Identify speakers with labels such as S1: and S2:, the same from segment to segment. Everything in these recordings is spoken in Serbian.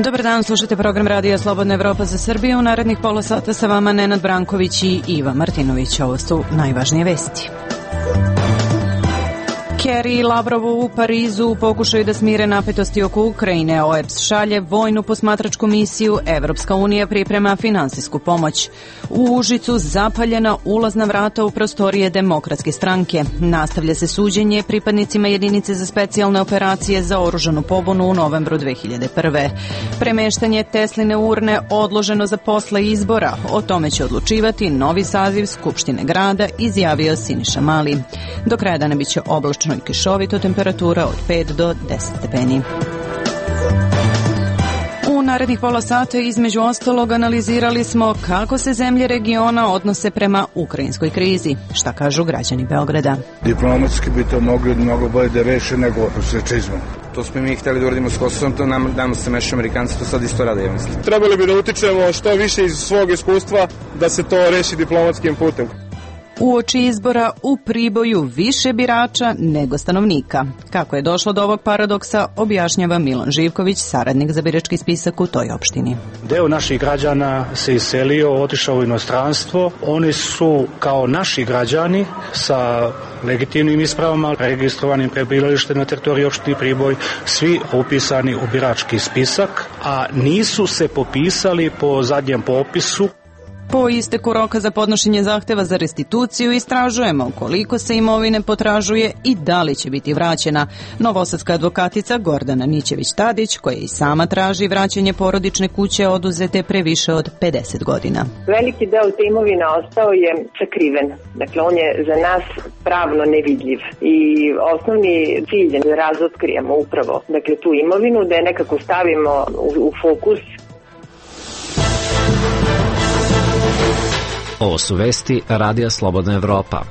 S1: Dobar dan, slušajte program Radija Slobodna Evropa za Srbiju. U narednih pola sata sa vama Nenad Branković i Iva Martinović. Ovo su najvažnije vesti. Kerry i Lavrov u Parizu pokušaju da smire napetosti oko Ukrajine. OEBS šalje vojnu posmatračku misiju, Evropska unija priprema finansijsku pomoć. U Užicu zapaljena ulazna vrata u prostorije Demokratske stranke. Nastavlja se suđenje pripadnicima jedinice za specijalne operacije za oružanu pobunu u novembru 2001. Premeštanje Tesline urne odloženo za posle izbora. O tome će odlučivati novi saziv Skupštine grada, izjavio Siniša Mali. Do kraja dana biće oblačno i kišovito, temperatura od 5 do 10 stepeni. U narednih pola sata između ostalog analizirali smo kako se zemlje regiona odnose prema ukrajinskoj krizi. Šta kažu građani Beograda?
S2: Diplomatski bi to mogli mnogo bolje da reše nego prosečizmom.
S3: To smo mi hteli da uradimo s Kosovom, to nam se mešu Amerikanci, to sad isto rade, ja mislim.
S4: Trebali bi da utičemo što više iz svog iskustva da se to reši diplomatskim putem.
S1: Uoči izbora u Priboju više birača nego stanovnika. Kako je došlo do ovog paradoksa, objašnjava Milan Živković, saradnik za birački spisak u toj opštini.
S5: Deo naših građana se iselio, otišao u inostranstvo. Oni su kao naši građani sa legitimnim ispravama, registrovanim prebivalištem na teritoriji opštine Priboj, svi upisani u birački spisak, a nisu se popisali po zadnjem popisu.
S1: Po isteku roka za podnošenje zahteva za restituciju istražujemo koliko se imovine potražuje i da li će biti vraćena. Novosadska advokatica Gordana Nićević-Tadić, koja i sama traži vraćanje porodične kuće oduzete pre više od 50 godina.
S6: Veliki deo te imovine ostao je sakriven. Dakle, on je za nas pravno nevidljiv. I osnovni cilj je da razotkrijemo upravo tu imovinu, da je nekako stavimo u fokus.
S7: Ovo su vesti Radija Slobodna Evropa.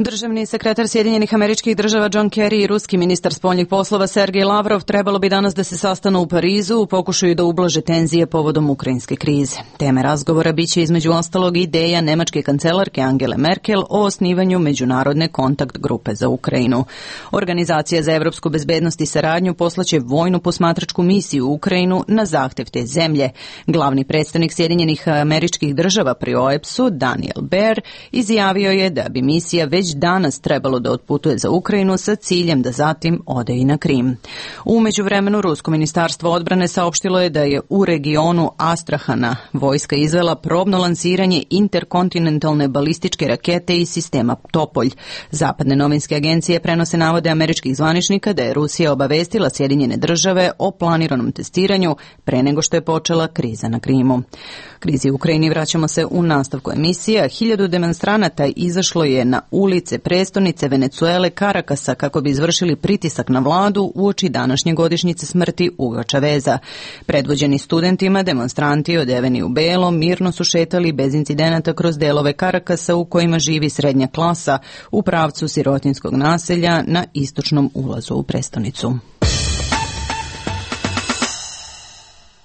S1: Državni sekretar Sjedinjenih Američkih Država John Kerry i ruski ministar spoljnih poslova Sergej Lavrov trebalo bi danas da se sastanu u Parizu u pokušaju da ublaže tenzije povodom ukrajinske krize. Teme razgovora biće između ostalog ideja nemačke kancelarke Angele Merkel o osnivanju međunarodne kontakt grupe za Ukrajinu. Organizacija za evropsku bezbednost i saradnju poslaće vojnu posmatračku misiju u Ukrajinu na zahtev te zemlje. Glavni predstavnik Sjedinjenih Američkih Država pri OEBS-u, Daniel Baer, izjavio je da bi misija već danas trebalo da otputuje za Ukrajinu sa ciljem da zatim ode i na Krim. U međuvremenu, Rusko ministarstvo odbrane saopštilo je da je u regionu Astrahana vojska izvela probno lansiranje interkontinentalne balističke rakete iz sistema Topolj. Zapadne novinske agencije prenose navode američkih zvaničnika da je Rusija obavestila Sjedinjene Države o planiranom testiranju pre nego što je počela kriza na Krimu. Krizi u Ukrajini vraćamo se u nastavku emisija. 1000 demonstranata izašlo je na ulice prestonice Venecuele Karakasa kako bi izvršili pritisak na vladu uoči današnje godišnjice smrti Huga Chaveza. Predvođeni studentima, demonstranti odeveni u belo mirno su šetali bez incidenata kroz delove Karakasa u kojima živi srednja klasa u pravcu sirotinskog naselja na istočnom ulazu u prestonicu.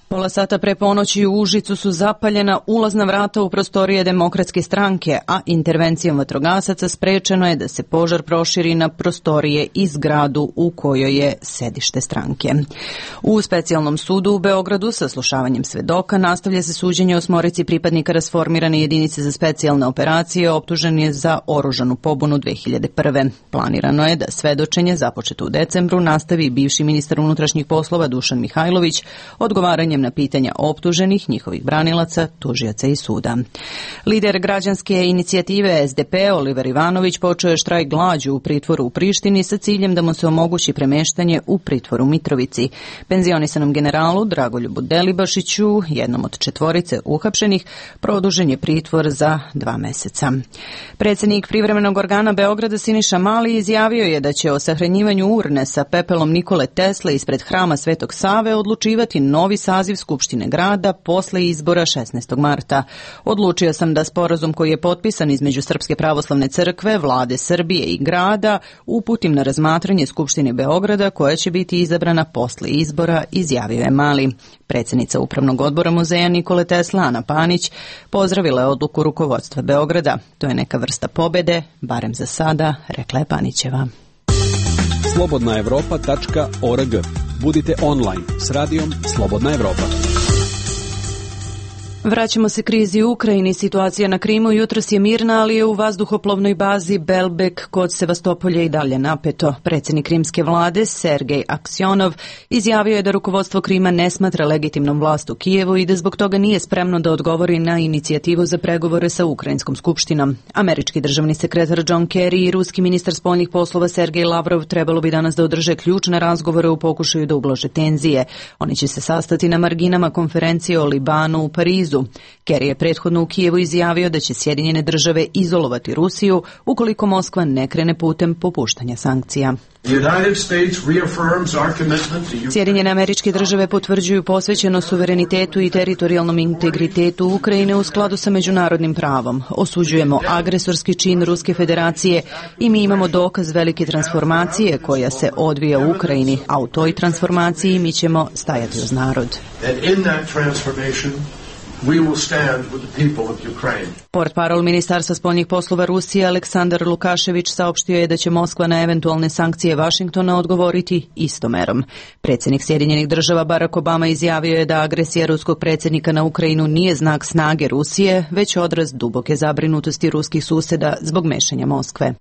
S1: Pola sata pre ponoći u Užicu su zapaljena ulazna vrata u prostorije Demokratske stranke, a intervencijom vatrogasaca sprečeno je da se požar proširi na prostorije i zgradu u kojoj je sedište stranke. U specijalnom sudu u Beogradu sa slušavanjem svedoka nastavlja se suđenje 8 pripadnika rasformirane jedinice za specijalne operacije optužen je za oružanu pobunu 2001. Planirano je da svedočenje započeto u decembru nastavi bivši ministar unutrašnjih poslova Dušan Mihajlović odgovaranjem na pitanja optuženih, njihovih branilaca, tužioca i suda. Lider građanske inicijative SDP Oliver Ivanović počeo je štrajk glađu u pritvoru u Prištini sa ciljem da mu se omogući premeštanje u pritvor u Mitrovici. Penzionisanom generalu Dragoljubu Delibašiću, jednom od 4 uhapšenih, produžen je pritvor za 2 meseca. Predsjednik privremenog organa Beograda Siniša Mali izjavio je da će o sahranjivanju urne sa pepelom Nikole Tesle ispred hrama Svetog Save odlučivati novi saziv Skupštine grada posle izbora 16. marta. Odlučio sam da sporazum koji je potpisan između Srpske pravoslavne crkve, vlade Srbije i grada uputim na razmatranje Skupštine Beograda koja će biti izabrana posle izbora, izjavio je Mali. Predsjednica Upravnog odbora muzeja Nikole Tesla, Ana Panić, pozdravila je odluku rukovodstva Beograda. To je neka vrsta pobede, barem za sada, rekla je Panićeva.
S8: slobodnaevropa.org. Budite online s radijom Slobodna Evropa.
S1: Vraćamo se krizi u Ukrajini. Situacija na Krimu jutros je mirna, ali je u vazduhoplovnoj bazi Belbek kod Sevastopolja i dalje napeto. Predsjednik krimske vlade Sergej Aksjonov izjavio je da rukovodstvo Krima ne smatra legitimnom vlast u Kijevu i da zbog toga nije spremno da odgovori na inicijativu za pregovore sa Ukrajinskom skupštinom. Američki državni sekretar John Kerry i ruski ministar spoljnih poslova Sergej Lavrov trebalo bi danas da održe ključne razgovore u pokušaju da ublaže tenzije. Oni će se sastati na marginama konferencije o Libanu u Parizu. Kerry je prethodno u Kijevu izjavio da će Sjedinjene države izolovati Rusiju ukoliko Moskva ne krene putem popuštanja sankcija. Sjedinjene Američke države potvrđuju posvećenost suverenitetu i teritorijalnom integritetu Ukrajine u skladu sa međunarodnim pravom. Osuđujemo agresorski čin Ruske federacije i mi imamo dokaz velike transformacije koja se odvija u Ukrajini, a u toj transformaciji mi ćemo stajati uz narod. Portparol Ministarstva spoljnih poslova Rusije Aleksandar Lukašević saopštio je da će Moskva na eventualne sankcije Vašingtona odgovoriti istom merom. Predsjednik Sjedinjenih država Barack Obama izjavio je da agresija ruskog predsjednika na Ukrajinu nije znak snage Rusije, već odraz duboke zabrinutosti ruskih susjeda zbog mešanja Moskve.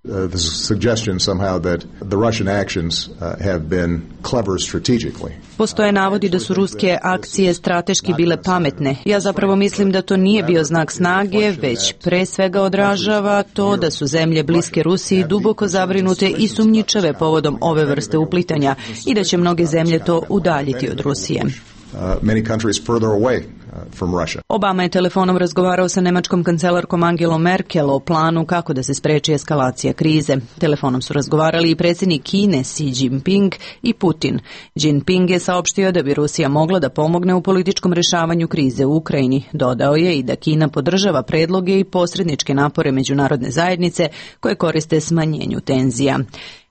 S1: Postoje navodi da su ruske akcije strateški bile pametne. Ja zapravo mislim da to nije bio znak snage, već pre svega odražava to da su zemlje bliske Rusiji duboko zabrinute i sumnjičave povodom ove vrste uplitanja i da će mnoge zemlje to udaljiti od Rusije. Obama je telefonom razgovarao sa nemačkom kancelarkom Angelom Merkel o planu kako da se spreči eskalacija krize. Telefonom su razgovarali i predsjednik Kine Xi Jinping i Putin. Jinping je saopštio da bi Rusija mogla da pomogne u političkom rješavanju krize u Ukrajini. Dodao je i da Kina podržava predloge i posredničke napore međunarodne zajednice koje koriste smanjenju tenzija.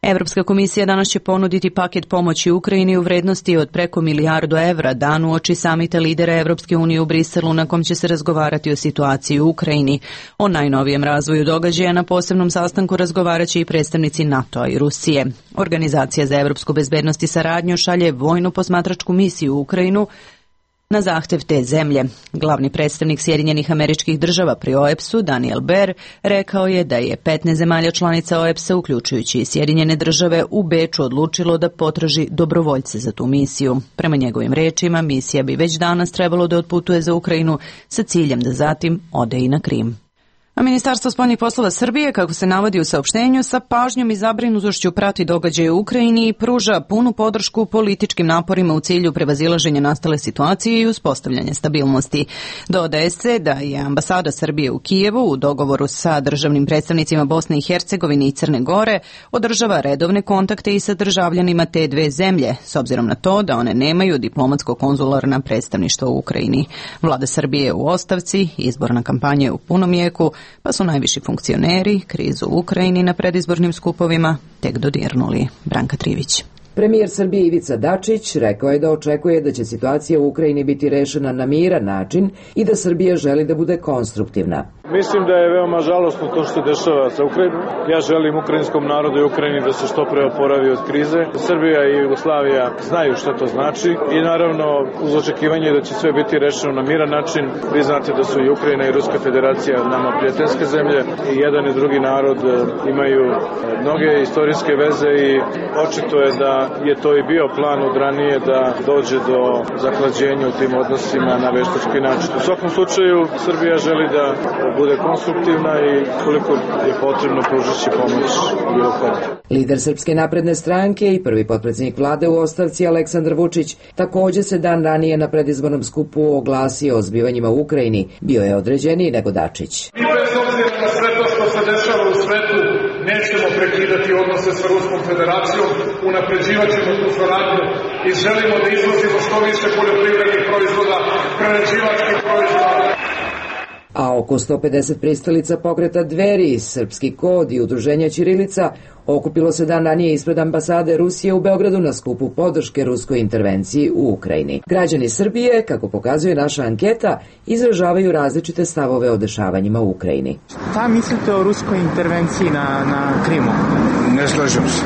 S1: Evropska komisija danas će ponuditi paket pomoći Ukrajini u vrednosti od preko $1 milijardu dan uoči samita lidera Evropske unije u Briselu na kom će se razgovarati o situaciji u Ukrajini. O najnovijem razvoju događaja na posebnom sastanku razgovarat će i predstavnici NATO-a i Rusije. Organizacija za evropsku bezbednost i saradnju šalje vojnu posmatračku misiju u Ukrajinu na zahtev te zemlje. Glavni predstavnik Sjedinjenih Američkih država pri OEBS-u, Daniel Baer, rekao je da je 15 zemalja članica OEBS-a, uključujući i Sjedinjene države, u Beču odlučilo da potraži dobrovoljce za tu misiju. Prema njegovim rečima, misija bi već danas trebalo da otputuje za Ukrajinu sa ciljem da zatim ode i na Krim. A Ministarstvo spoljnih poslova Srbije, kako se navodi u saopštenju, sa pažnjom i zabrinutošću prati događaje u Ukrajini i pruža punu podršku političkim naporima u cilju prevazilaženja nastale situacije i uspostavljanja stabilnosti. Dodaje se da je ambasada Srbije u Kijevu u dogovoru sa državnim predstavnicima Bosne i Hercegovine i Crne Gore održava redovne kontakte i sa državljanima te dve zemlje, s obzirom na to da one nemaju diplomatsko-konzularna predstavništva u Ukrajini. Vlada Srbije je u ostavci, izborna kampanja je u punom jeku, pa su najviši funkcioneri krizu u Ukrajini na predizbornim skupovima tek dodirnuli. Branka Trivić.
S9: Premijer Srbije Ivica Dačić rekao je da očekuje da će situacija u Ukrajini biti rešena na miran način i da Srbija želi da bude konstruktivna.
S4: Mislim da je veoma žalosno to što se dešava sa Ukrajinom. Ja želim ukrajinskom narodu i Ukrajini da se što pre oporavi od krize. Srbija i Jugoslavija znaju šta to znači i naravno uz očekivanje da će sve biti rešeno na miran način. Vi znate da su i Ukrajina i Ruska federacija nama prijateljske zemlje i jedan i drugi narod imaju mnoge istorijske veze i očito je da je to i bio plan od ranije da dođe do zahlađenja u tim odnosima na veštački način. U svakom slučaju Srbija želi da bude konstruktivna i koliko je potrebno pružići pomoć bilo kome.
S9: Lider Srpske napredne stranke i prvi potpredsjednik vlade u ostavci Aleksandar Vučić takođe se dan ranije na predizbornom skupu oglasio o zbivanjima u Ukrajini. Bio je određeniji nego Dačić.
S10: Mi bez obzira na sve to što se dešava u svetu nećemo prekidati odnose sa Ruskom federacijom, unapređivat ćemo tu saradnju i želimo da izvozimo što više poljoprivrednih proizvoda, prerađivačkih proizvoda.
S9: A oko 150 pristalica pokreta Dveri, Srpski kod i udruženja Ćirilica okupilo se dan ranije ispred ambasade Rusije u Beogradu na skupu podrške ruskoj intervenciji u Ukrajini. Građani Srbije, kako pokazuje naša anketa, izražavaju različite stavove o dešavanjima u Ukrajini.
S11: Šta mislite o ruskoj intervenciji na Krimu?
S2: Ne slažem se.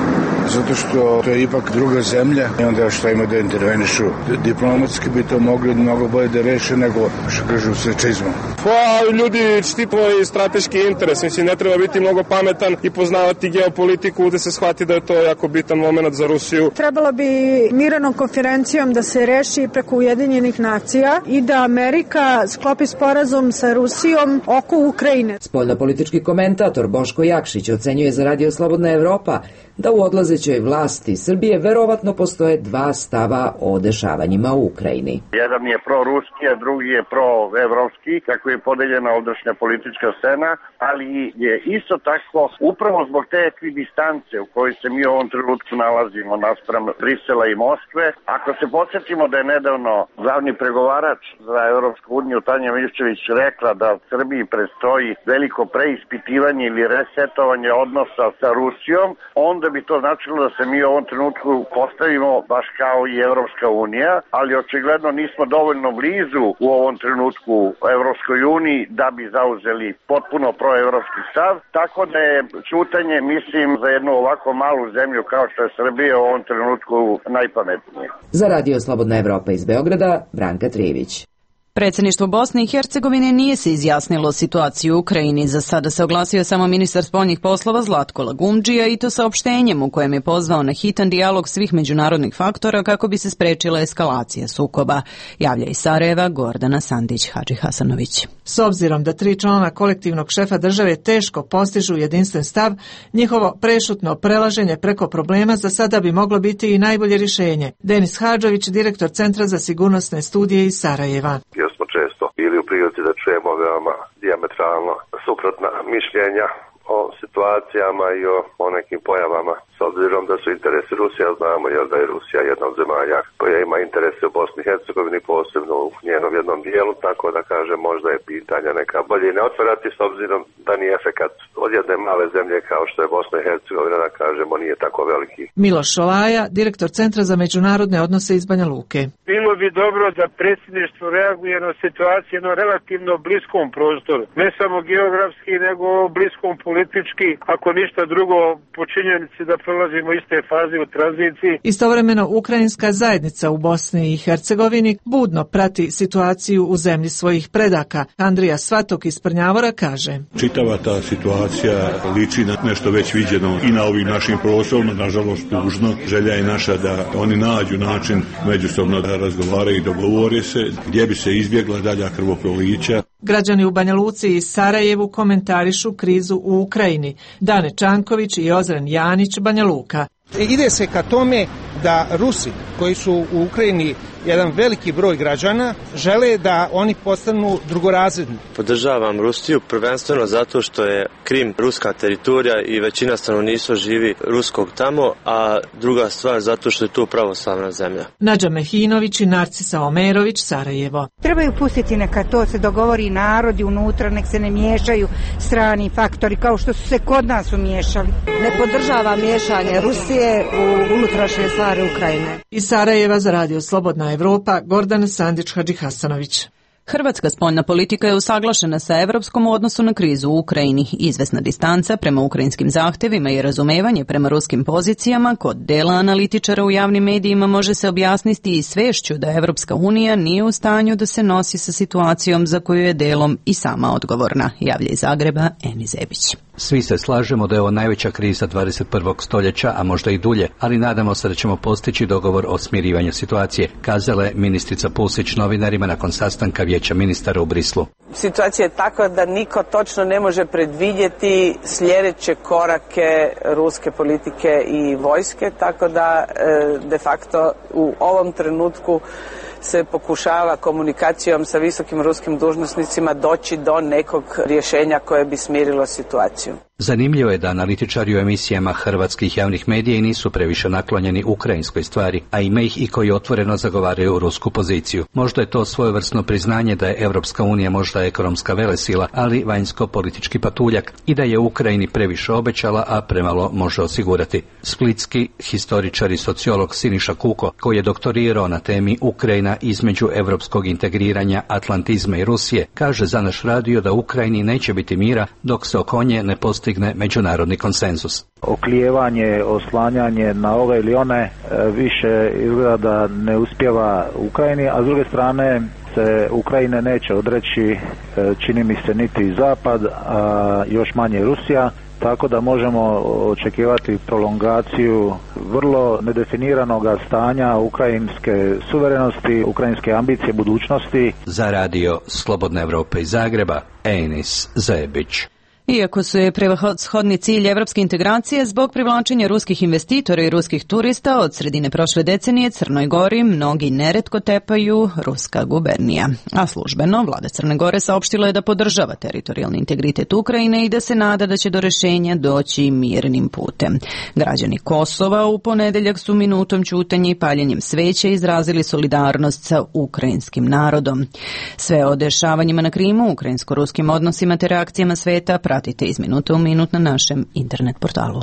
S2: Zato što to je ipak druga zemlja i onda što ima da intervenišu. Diplomatski bi to mogli mnogo bolje da reše nego što kažu sve čizmom.
S12: Pa ljudi štitimo i strateški interes. Mislim, ne treba biti mnogo pametan i poznavati geopolitiku da se shvati da je to jako bitan moment za Rusiju.
S13: Trebalo bi mirovnom konferencijom da se reši preko Ujedinjenih nacija i da Amerika sklopi sporazum sa Rusijom oko Ukrajine.
S9: Spoljnopolitički komentator Boško Jakšić ocenjuje za Radio Slobodna Evropa da u odlazećoj vlasti Srbije verovatno postoje dva stava o dešavanjima u Ukrajini.
S14: Jedan je proruski, a drugi je proevropski, kako je podeljena ovdašnja politička scena, ali je isto tako upravo zbog te ekvidistance u kojoj se mi u ovom trenutku nalazimo naspram Brisela i Moskve. Ako se podsjetimo da je nedavno glavni pregovarač za Evropsku uniju Tanja Miščević rekla da Srbiji predstoji veliko preispitivanje ili resetovanje odnosa sa Rusijom, onda bi to značilo da se mi u ovom trenutku postavimo baš kao i Evropska unija, ali očigledno nismo dovoljno blizu u ovom trenutku Evropskoj uniji da bi zauzeli potpuno proevropski stav, tako da je ćutanje, mislim, za jednu ovako malu zemlju kao što je Srbija u ovom trenutku najpametnije.
S9: Za Radio Slobodna Evropa iz Beograda, Branka Trijević.
S1: Predsjedništvo Bosne i Hercegovine nije se izjasnilo o situaciji u Ukrajini. Za sada se oglasio samo ministar spoljnih poslova Zlatko Lagumdžija i to saopštenjem u kojem je pozvao na hitan dijalog svih međunarodnih faktora kako bi se sprečila eskalacija sukoba. Javlja iz Sarajeva Gordana Sandić-Hadžihasanović.
S15: S obzirom da 3 člana kolektivnog šefa države teško postižu jedinstven stav, njihovo prešutno prelaženje preko problema za sada bi moglo biti i najbolje rješenje. Denis Hadžović, direktor Centra za sigurnosne studije iz Sarajeva.
S16: Smo često bili u prilici da čujemo veoma dijametralno suprotna mišljenja o situacijama i o nekim pojavama. S obzirom da su interesi Rusija, znamo jer da je Rusija jedna od zemalja koja ima interese u Bosni i Hercegovini, posebno u njenom jednom dijelu, tako da kažem možda je pitanja neka bolje ne otvarati s obzirom da ni efekat od jedne male zemlje kao što je Bosna i Hercegovina, da kažemo, nije tako veliki.
S15: Miloš Šolaja, direktor Centra za međunarodne odnose iz Banja Luke.
S17: Bilo bi dobro da predsjedništvo reaguje na situaciju na relativno bliskom prostoru, ne samo geografski, nego bliskom politički, ako ništa drugo po činjenici da prolazimo iste faze u tranziciji.
S15: Istovremeno, ukrajinska zajednica u Bosni i Hercegovini budno prati situaciju u zemlji svojih predaka. Andrija Svatok iz Prnjavora kaže:
S18: Čitava ta situacija liči na nešto već viđeno i na ovim našim prostorima, nažalost tužno. Želja je naša da oni nađu način međusobno da razgovaraju i dogovore se gdje bi se izbjegla dalja krvoprolića.
S15: Građani u Banja Luci i Sarajevu komentarišu krizu u Ukrajini. Dane Čanković i Ozren Janić, Banja Luka.
S19: Ide se ka tome da Rusi, koji su u Ukrajini jedan veliki broj građana, žele da oni postanu drugorazredni.
S20: Podržavam Rusiju prvenstveno zato što je Krim ruska teritorija i većina stanovništva živi ruskog tamo, a druga stvar zato što je to pravoslavna zemlja.
S15: Nađa Mehinović i Narcisa Omerović, Sarajevo.
S21: Trebaju pustiti neka to se dogovori narodi unutra, nek se ne miješaju strani faktori kao što su se kod nas umiješali.
S22: Ne podržava miješanje Rusije u unutrašnje stvari Ukrajine.
S15: Iz Sarajeva za Radio Slobodna Evropa, Gordana Sandić-Hadžihasanović.
S1: Hrvatska spoljna politika je usaglašena sa evropskom u odnosu na krizu u Ukrajini. Izvesna distanca prema ukrajinskim zahtevima i razumevanje prema ruskim pozicijama kod dela analitičara u javnim medijima može se objasniti i svešću da Evropska unija nije u stanju da se nosi sa situacijom za koju je delom i sama odgovorna, javlja iz Zagreba Eni Zebić.
S23: Svi se slažemo da je ovo najveća kriza 21. stoljeća, a možda i dulje, ali nadamo se da ćemo postići dogovor o smirivanju situacije, kazala je ministrica Pusić novinarima nakon sastanka Vijeća ministara u Brislu.
S24: Situacija je takva da niko točno ne može predvidjeti sljedeće korake ruske politike i vojske, tako da de facto u ovom trenutku se pokušava komunikacijom sa visokim ruskim dužnosnicima doći do nekog rješenja koje bi smirilo situaciju.
S23: Zanimljivo je da analitičari u emisijama hrvatskih javnih medija i nisu previše naklonjeni ukrajinskoj stvari, a ima ih i koji otvoreno zagovaraju rusku poziciju. Možda je to svojevrsno priznanje da je Evropska unija možda ekonomska velesila, ali vanjsko-politički patuljak i da je Ukrajini previše obećala, a premalo može osigurati. Splitski historičar i sociolog Siniša Kuko, koji je doktorirao na temi Ukrajina između evropskog integriranja, atlantizma i Rusije, kaže za naš radio da Ukrajini neće biti mira dok se oko nje ne postigne međunarodni konsenzus.
S3: Oklijevanje, oslanjanje na ove ili one više izgleda da ne uspijeva Ukrajini, a s druge strane se Ukrajine neće odreći, čini mi se, niti Zapad, a još manje Rusija. Tako da možemo očekivati prolongaciju vrlo nedefiniranog stanja ukrajinske suverenosti, ukrajinske ambicije budućnosti.
S23: Za radio Slobodna Evropa iz Zagreba, Enis Zajebić.
S1: Iako su je prevashodni cilj evropske integracije, zbog privlačenja ruskih investitora i ruskih turista od sredine prošle decenije Crnoj Gori mnogi neretko tepaju ruska gubernija. A službeno, vlada Crne Gore saopštila je da podržava teritorijalni integritet Ukrajine i da se nada da će do rešenja doći mirnim putem. Građani Kosova u ponedeljak su minutom ćutanja i paljenjem sveća izrazili solidarnost sa ukrajinskim narodom. Sve o dešavanjima na Krimu, ukrajinsko-ruskim odnosima te reakcijama sveta pratite iz minuta u minut na našem internet portalu.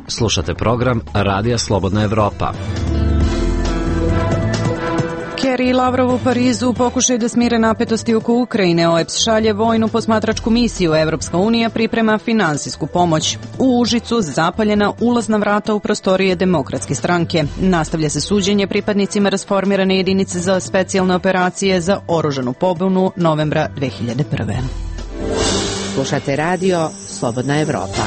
S5: Slušate program Radija Slobodna Evropa.
S1: Kerry i Lavrov u Parizu pokušaju da smire napetosti oko Ukrajine. OEBS šalje vojnu posmatračku misiju, Evropska unija priprema finansijsku pomoć. U Užicu zapaljena ulazna vrata u prostorije Demokratske stranke. Nastavlja se suđenje pripadnicima rasformirane jedinice za specijalne operacije za oružanu pobunu novembra 2001.
S6: Slušate radio Slobodna Evropa.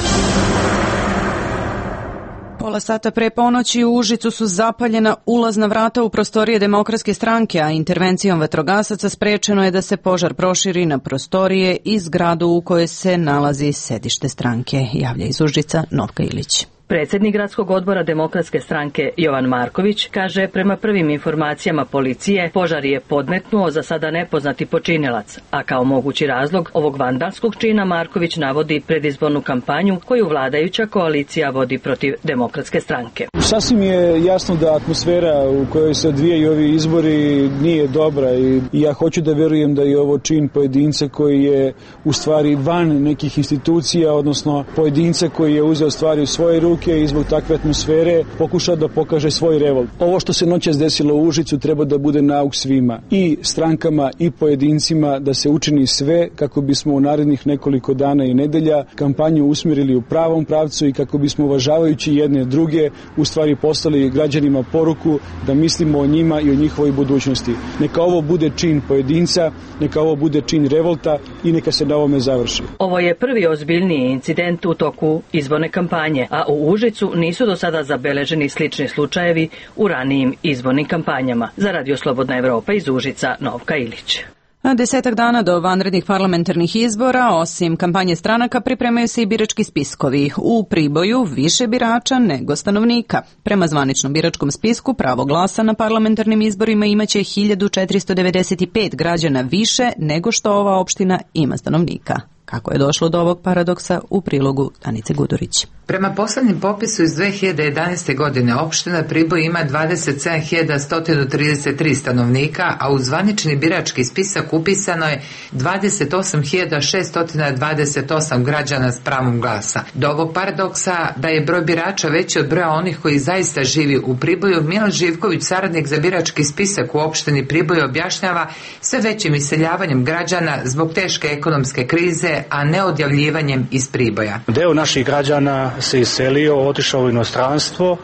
S1: Pola sata pre ponoći u Užicu su zapaljena ulazna vrata u prostorije Demokratske stranke, a intervencijom vatrogasaca sprečeno je da se požar proširi na prostorije i zgradu u kojoj se nalazi sedište stranke. Javlja iz Užica Novka Ilić.
S7: Predsjednik gradskog odbora Demokratske stranke Jovan Marković kaže prema prvim informacijama policije požar je podmetnuo za sada nepoznati počinilac, a kao mogući razlog ovog vandalskog čina Marković navodi predizbornu kampanju koju vladajuća koalicija vodi protiv Demokratske stranke.
S25: Sasvim je jasno da atmosfera u kojoj se odvijaju ovi izbori nije dobra i ja hoću da verujem da je ovo čin pojedinca koji je u stvari van nekih institucija, odnosno pojedinca koji je uzeo stvari u svoje ruke i zbog takve atmosfere pokušao da pokaže svoj revolt. Ovo što se noćas desilo u Užicu treba da bude nauk svima, i strankama i pojedincima, da se učini sve kako bismo u narednih nekoliko dana i nedelja kampanju usmjerili u pravom pravcu i kako bismo uvažavajući jedne druge u stvari poslali građanima poruku da mislimo o njima i o njihovoj budućnosti. Neka ovo bude čin pojedinca, neka ovo bude čin revolta i neka se na ovome završi.
S7: Ovo je prvi ozbiljniji incident u toku izborne kampanje, a u Užicu nisu do sada zabeleženi slični slučajevi u ranijim izbornim kampanjama. Za Radio Slobodna Evropa iz Užica, Novka Ilić.
S1: 10 dana do vanrednih parlamentarnih izbora, osim kampanje stranaka, pripremaju se i birački spiskovi. U Priboju više birača nego stanovnika. Prema zvaničnom biračkom spisku, pravo glasa na parlamentarnim izborima imaće 1495 građana više nego što ova opština ima stanovnika. Kako je došlo do ovog paradoksa, u prilogu Danice Gudurić.
S26: Prema poslednjem popisu iz 2011. godine opština Priboj ima 27.133 stanovnika, a u zvanični birački spisak upisano je 28.628 građana s pravom glasa. Do ovog paradoksa da je broj birača veći od broja onih koji zaista živi u Priboju, Milan Živković, saradnik za birački spisak u opštini Priboj, objašnjava sve većim iseljavanjem građana zbog teške ekonomske krize, a ne odjavljivanjem iz Priboja.
S27: Deo naših građana se iselio, otišao u inostranstvo.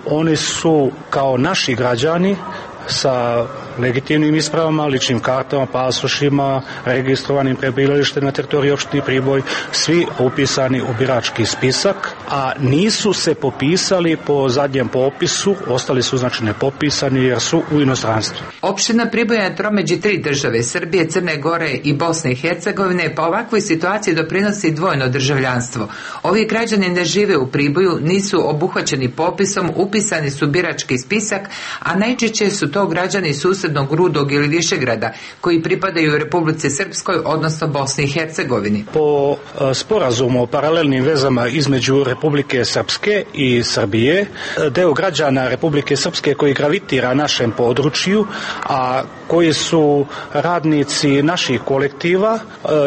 S27: Oni su kao naši građani sa legitimnim ispravama, ličnim kartama, pasošima, registrovanim prebivalištem na teritoriji opštine Priboj, svi upisani u birački spisak, a nisu se popisali po zadnjem popisu, ostali su znači nepopisani jer su u inostranstvu.
S26: Opština Priboj je na tromeđi 3 države, Srbije, Crne Gore i Bosne i Hercegovine, pa ovakvoj situaciji doprinosi dvojno državljanstvo. Ovi građani ne žive u Priboju, nisu obuhvaćeni popisom, upisani su birački spisak, a najčešće su to građani susjednih susednog Rudog ili Višegrada, koji pripadaju Republici Srpskoj, odnosno Bosni i Hercegovini.
S27: Po sporazumu o paralelnim vezama između Republike Srpske i Srbije, deo građana Republike Srpske koji gravitira našem području, a koji su radnici naših kolektiva,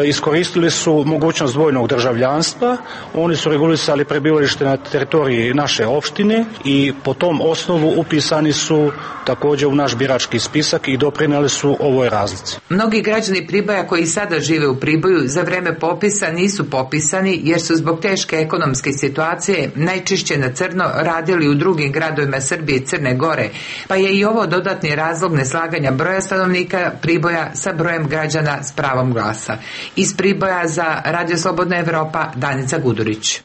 S27: iskoristili su mogućnost dvojnog državljanstva. Oni su regulisali prebivalište na teritoriji naše opštine i po tom osnovu upisani su također u naš birački spisak i doprinijeli su ovoj razlici.
S26: Mnogi građani Priboja koji sada žive u Priboju za vreme popisa nisu popisani jer su zbog teške ekonomske situacije najčešće na crno radili u drugim gradovima Srbije i Crne Gore, pa je i ovo dodatni razlog neslaganja broja stanovnika Priboja sa brojem građana s pravom glasa. Iz Priboja za Radio Slobodna Evropa, Danica Gudurić.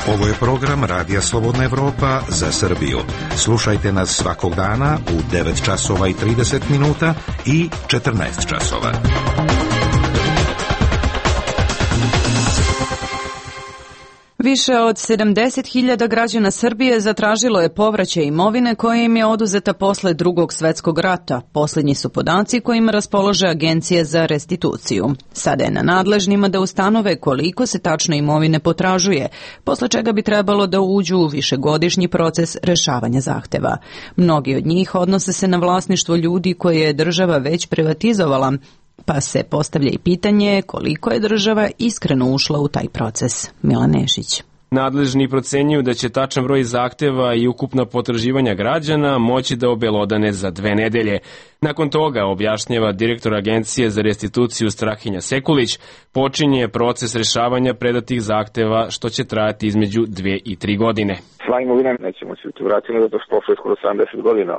S2: Ovo je program Radija Slobodna Evropa za Srbiju. Slušajte nas svakog dana u 9 časova i 30 minuta i 14 časova.
S1: Više od 70.000 građana Srbije zatražilo je povraćaj imovine koja im je oduzeta posle Drugog svetskog rata. Posljednji su podaci kojima raspolaže Agencija za restituciju. Sada je na nadležnima da ustanove koliko se tačno imovine potražuje, posle čega bi trebalo da uđu u višegodišnji proces rešavanja zahteva. Mnogi od njih odnose se na vlasništvo ljudi koje je država već privatizovala, pa se postavlja i pitanje koliko je država iskreno ušla u taj proces. Milan Nešić.
S4: Nadležni procenjuju da će tačan broj zahteva i ukupna potraživanja građana moći da obelodane za 2 nedelje. Nakon toga, objašnjava direktor Agencije za restituciju Strahinja Sekulić, počinje proces rešavanja predatih zahteva što će trajati između 2 i 3 godine.
S3: Sva imovina neće moći biti vraćena zato što prošlo je skoro 70 godina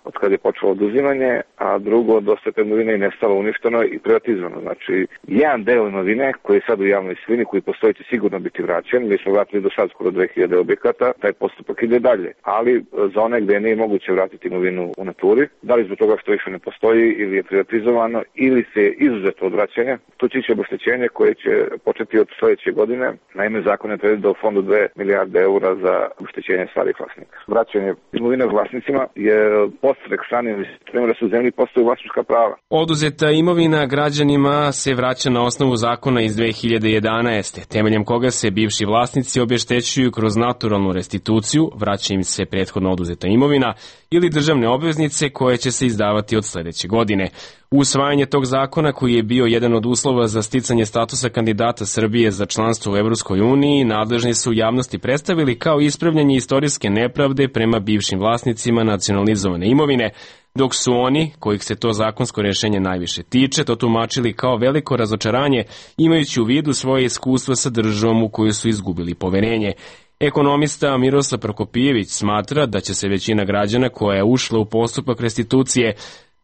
S3: od kada je počelo oduzimanje, a drugo, dosta te imovine je nestalo, uništeno i privatizovano. Znači, jedan deo imovine koji je sad u javnoj svojini, koji postoji, će sigurno biti vraćen. Mi smo vratili do sad skoro 2000 objekata, taj postupak ide dalje. Ali za one gde nije moguće vratiti imovinu u naturi, da li zbog toga što više ne postoji ili je privatizovano ili se je izuzeto od vraćanja, tu će ići obeštećenje koje će početi od sledeće godine. Naime, zakon je predvideo u fondu 2 milijarde eura za obeštećenje starih vlasnika. Vraćanje imovine vlasnicima je podstrek stranim investitorima da su u zemlji postoji vlasnička prava.
S4: Oduzeta imovina građanima se vraća na osnovu zakona iz 2011. temeljem koga se bivši vlasnici obeštećuju kroz naturalnu restituciju, vraća im se prethodno oduzeta imovina ili državne obveznice koje će se izdavati od sledeće godine. Usvajanje tog zakona, koji je bio jedan od uslova za sticanje statusa kandidata Srbije za članstvo u Evropskoj uniji, nadležni su javnosti predstavili kao ispravljanje istorijske nepravde prema bivšim vlasnicima nacionalizovane imovine, dok su oni, kojih se to zakonsko rješenje najviše tiče, to tumačili kao veliko razočaranje, imajući u vidu svoje iskustva sa državom u koju su izgubili poverenje. Ekonomista Miroslav Prokopijević smatra da će se većina građana koja je ušla u postupak restitucije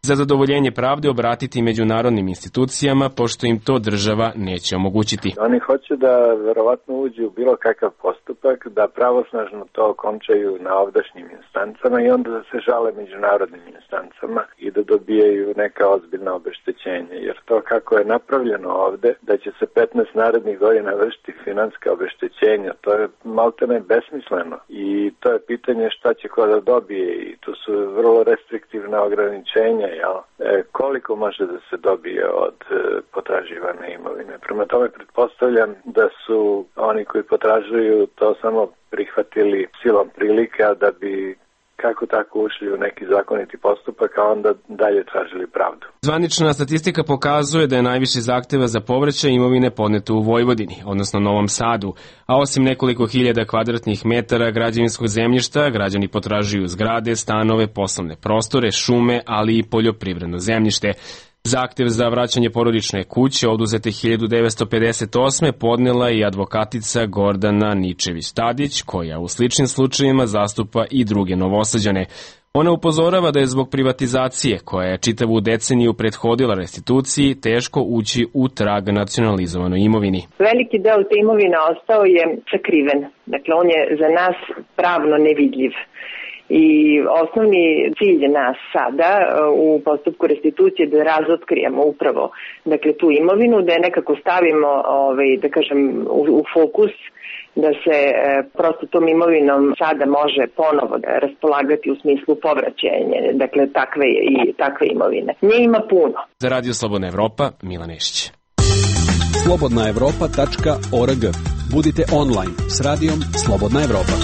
S4: za zadovoljenje pravde obratiti međunarodnim institucijama, pošto im to država neće omogućiti.
S8: Oni hoće da verovatno uđu u bilo kakav postupak, da pravosnažno to okončaju na ovdašnjim instancama i onda da se žale međunarodnim instancama i da dobijaju neka ozbiljna obeštećenja. Jer to kako je napravljeno ovde, da će se 15 narednih godina vršiti financijska obeštećenja, to je maltene besmisleno. I to je pitanje šta će ko da dobije i tu su vrlo restriktivna ograničenja. Koliko može da se dobije od potraživane imovine. Prema tome pretpostavljam da su oni koji potražuju to samo prihvatili silom prilika da bi kako tako ušli u neki zakoniti postupak, a onda dalje tražili pravdu.
S4: Zvanična statistika pokazuje da je najviše zahteva za povraćaj imovine podneto u Vojvodini, odnosno Novom Sadu, a osim nekoliko hiljada kvadratnih metara građevinskog zemljišta, građani potražuju zgrade, stanove, poslovne prostore, šume, ali i poljoprivredno zemljište. Zahtev za vraćanje porodične kuće oduzete 1958. podnela i advokatica Gordana Ničević-Tadić, koja u sličnim slučajevima zastupa i druge Novosađane. Ona upozorava da je zbog privatizacije, koja je čitavu deceniju prethodila restituciji, teško ući u trag nacionalizovanoj imovini.
S10: Veliki deo te imovine ostao je sakriven. Dakle, on je za nas pravno nevidljiv.
S9: I osnovni cilj nas sada u postupku restitucije da razotkrijemo upravo tu imovinu, da je nekako stavimo u fokus, da se prosto tom imovinom sada može ponovo raspolagati u smislu povraćenja, takve imovine. Nje ima puno.
S4: Za Radio Slobodna Evropa, Milan Nešić.
S10: slobodnaevropa.org. Budite online s radijom Slobodna Evropa.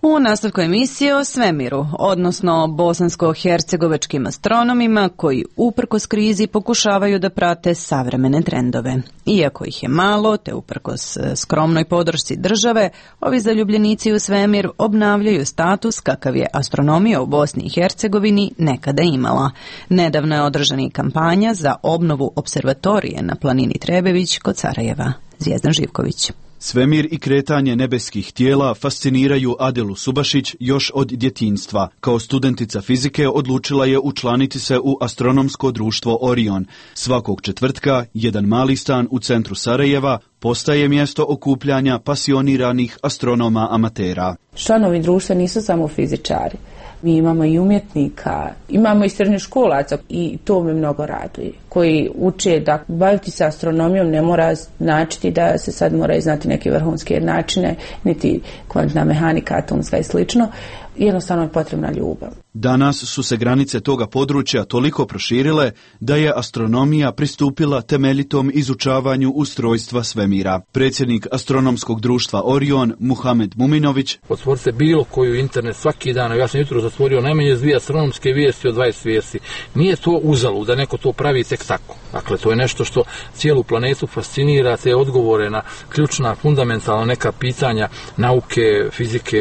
S1: U nastavku emisije o svemiru, odnosno bosansko-hercegovačkim astronomima koji uprkos krizi pokušavaju da prate savremene trendove. Iako ih je malo, te uprkos skromnoj podršci države, ovi zaljubljenici u svemir obnavljaju status kakav je astronomija u Bosni i Hercegovini nekada imala. Nedavno je održana kampanja za obnovu observatorije na planini Trebević kod Sarajeva. Zvijezdan Živković.
S11: Svemir i kretanje nebeskih tijela fasciniraju Adelu Subašić još od djetinjstva. Kao studentica fizike odlučila je učlaniti se u astronomsko društvo Orion. Svakog četvrtka, jedan mali stan u centru Sarajeva postaje mjesto okupljanja pasioniranih astronoma amatera.
S12: Članovi društva nisu samo fizičari. Mi imamo i umjetnika, imamo i srednjoškolaca i to me mnogo raduje. Koji uče da baviti se astronomijom ne mora značiti da se sad moraju znati neke vrhunske načine, niti kvantna mehanika, atomska i slično. Jednostavno je potrebna ljubav.
S11: Danas su se granice toga područja toliko proširile da je astronomija pristupila temeljitom izučavanju ustrojstva svemira. Predsjednik astronomskog društva Orion, Muhamed Muminović:
S13: otvorite bilo koju internet svaki dan, ja sam jutro zatvorio najmanje 2 astronomske vijesti od 20 vijesti. Nije to uzalud da neko to pravi tek tako. Dakle, to je nešto što cijelu planetu fascinira, te odgovore na ključna, fundamentalna neka pitanja nauke, fizike,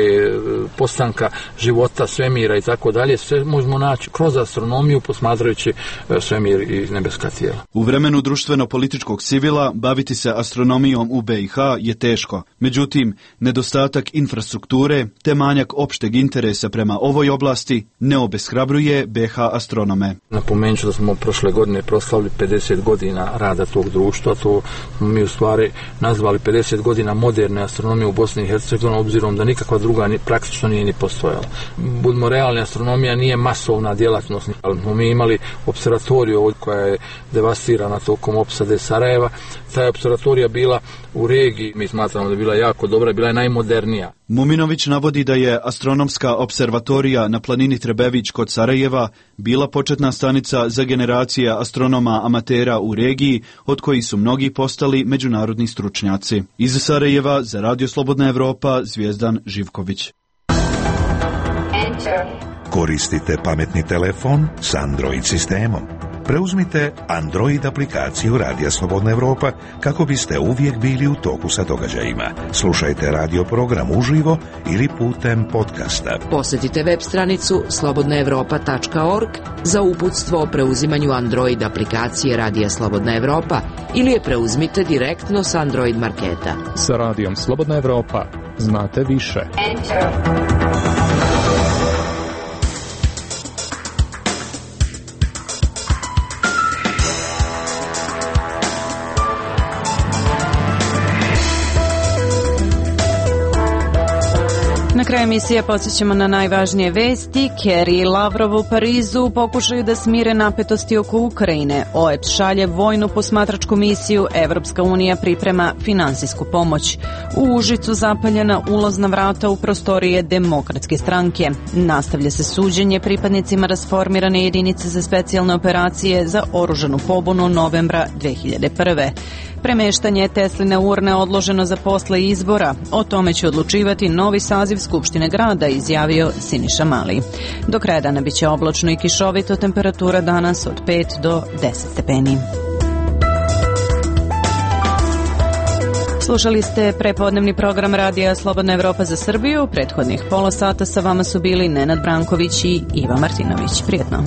S13: postanka života, svemira i tako dalje, sve možemo naći kroz astronomiju posmatrajući svemir i nebeska tijela.
S11: U vremenu društveno-političkog sivila baviti se astronomijom u BiH je teško. Međutim, nedostatak infrastrukture te manjak opšteg interesa prema ovoj oblasti ne obeshrabruje BiH astronome.
S13: Napomenut ću da smo prošle godine proslavili 50 godina rada tog društva, to mi u stvari nazvali 50 godina moderne astronomije u Bosni i Hercegovini, obzirom da nikakva druga praktično nije ni postojala. Budimo realni, astronomija nije masovna djelatnost, ali smo mi imali observatoriju koja je devastirana tokom opsade Sarajeva. Ta je observatorija bila u regiji, mi smatramo da je bila jako dobra, bila je najmodernija.
S11: Muminović navodi da je astronomska observatorija na planini Trebević kod Sarajeva bila početna stanica za generacije astronoma amatera u regiji, od kojih su mnogi postali međunarodni stručnjaci. Iz Sarajeva za Radio Slobodna Evropa, Zvijezdan Živković.
S2: Koristite pametni telefon s Android sistemom. Preuzmite Android aplikaciju Radija Slobodna Evropa kako biste uvijek bili u toku sa događajima. Slušajte radio program uživo ili putem podcasta.
S6: Posjetite web stranicu slobodnaevropa.org za uputstvo o preuzimanju Android aplikacije Radija Slobodna Evropa ili je preuzmite direktno s Android marketa.
S14: Sa Radijom Slobodna Evropa znate više.
S1: Na kraju emisije podsjećamo na najvažnije vesti. Kerry i Lavrov u Parizu pokušaju da smire napetosti oko Ukrajine. OEBS šalje vojnu posmatračku misiju, Evropska unija priprema finansijsku pomoć. U Užicu zapaljena ulazna vrata u prostorije Demokratske stranke. Nastavlja se suđenje pripadnicima rasformirane jedinice za specijalne operacije za oružanu pobunu novembra 2001. Premeštanje Tesline urne odloženo za posle izbora. O tome će odlučivati novi saziv Skupštine grada, izjavio Siniša Mali. Do kraja dana biće oblačno i kišovito, temperatura danas od 5 do 10 stepeni. Slušali ste prepodnevni program Radija Slobodna Evropa za Srbiju. Prethodnih pola sata sa vama su bili Nenad Branković i Iva Martinović. Prijetno.